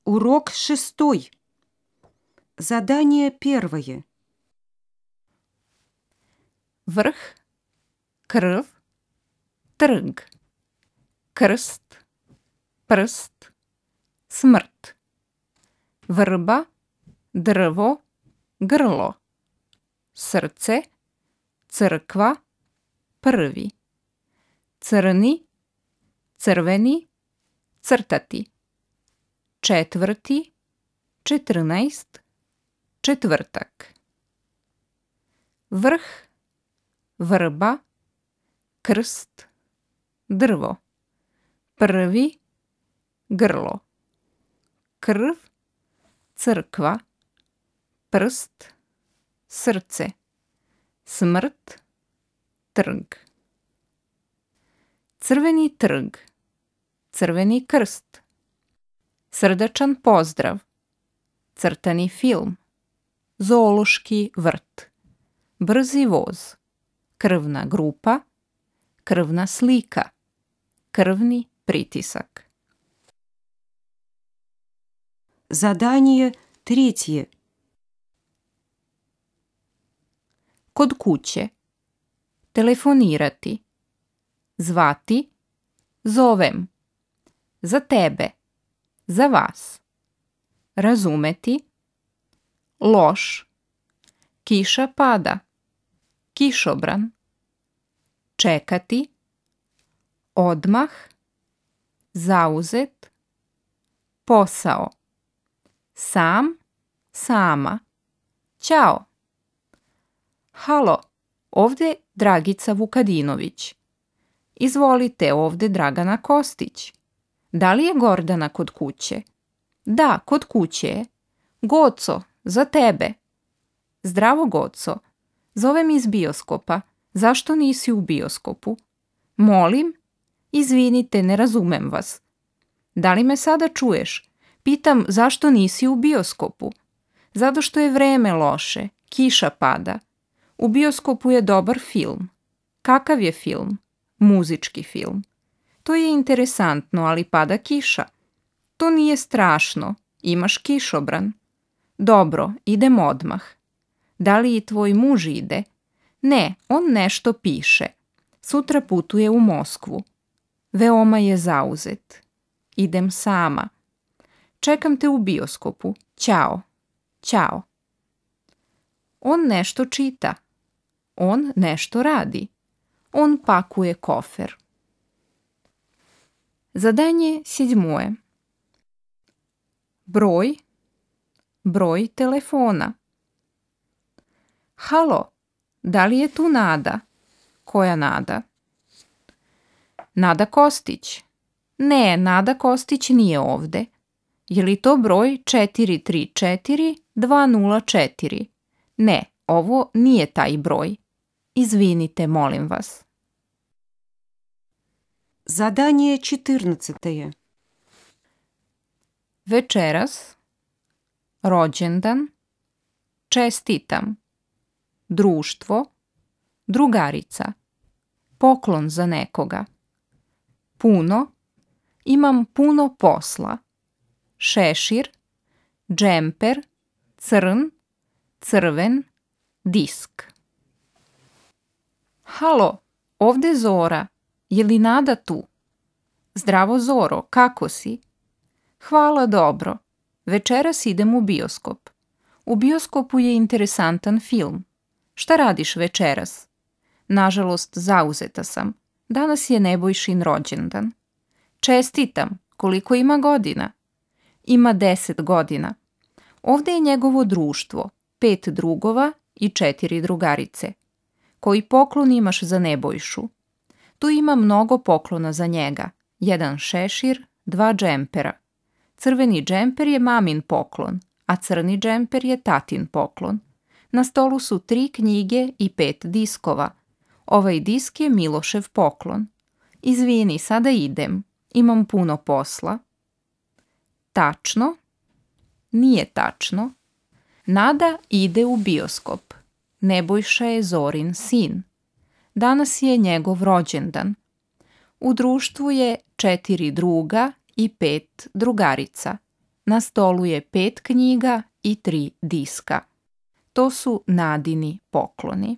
Урок 6. Задание 1. Vrh, krv, trg, krst, prst, smrt. Vrba, drvo, grlo. Srce, crkva, prvi. Crni, crveni, crtati. Četvrti, 14, četvrtak. Vrh, vrba, krst, drvo. Prvi, grlo. Krv, crkva, prst, srce. Smrt, trg. Crveni trg, crveni krst. Srdačan pozdrav, crtani film, zoološki vrt, brzi voz, krvna grupa, krvna slika, krvni pritisak. Задание 3. Kod kuće, telefonirati, zvati, zovem, za tebe, za vas, razumeti, loš, kiša pada, kišobran, čekati, odmah, zauzet, posao, sam, sama, ćao. Halo, ovde Dragica Vukadinović. Izvolite, ovde Dragana Kostić. Da li je Gordana kod kuće? Da, kod kuće je. Goco, za tebe. Zdravo, Goco. Zovem iz bioskopa. Zašto nisi u bioskopu? Molim? Izvinite, ne razumem vas. Da li me sada čuješ? Pitam zašto nisi u bioskopu. Zato što je vreme loše, kiša pada. U bioskopu je dobar film. Kakav je film? Muzički film. To je interesantno, ali pada kiša. To nije strašno, imaš kišobran. Dobro, idem odmah. Da li i tvoj muž ide? Ne, on nešto piše. Sutra putuje u Moskvu. Veoma je zauzet. Idem sama. Čekam te u bioskopu. Ćao. Ćao. On nešto čita. On nešto radi. On pakuje kofer. Zadanje 7. Broj telefona. Halo, da li je tu Nada? Koja Nada? Nada Kostić. Ne, Nada Kostić nije ovde. Je li to broj 434-204? Ne, ovo nije taj broj. Izvinite, molim vas. Задание 14. Večeras, rođendan, čestitam, društvo, drugarica, poklon za nekoga, puno, imam puno posla, šešir, džemper, crn, crven, disk. Halo, ovde Zora. Je li Nada tu? Zdravo, Zoro, kako si? Hvala, dobro. Večeras idem u bioskop. U bioskopu je interesantan film. Šta radiš večeras? Nažalost, zauzeta sam. Danas je Nebojšin rođendan. Čestitam. Koliko ima godina? Ima 10 godina. Ovde je njegovo društvo, 5 drugova i 4 drugarice. Koji poklon imaš za Nebojšu? Tu ima mnogo poklona za njega. 1 šešir, 2 džempera. Crveni džemper je mamin poklon, a crni džemper je tatin poklon. Na stolu su 3 knjige i 5 diskova. Ovaj disk je Milošev poklon. Izvini, sada idem. Imam puno posla. Tačno? Nije tačno. Nada ide u bioskop. Nebojša je Zorin sin. Danas je njegov rođendan. U društvu je 4 druga i 5 drugarica. Na stolu je 5 knjiga i 3 diska. To su Nadini pokloni.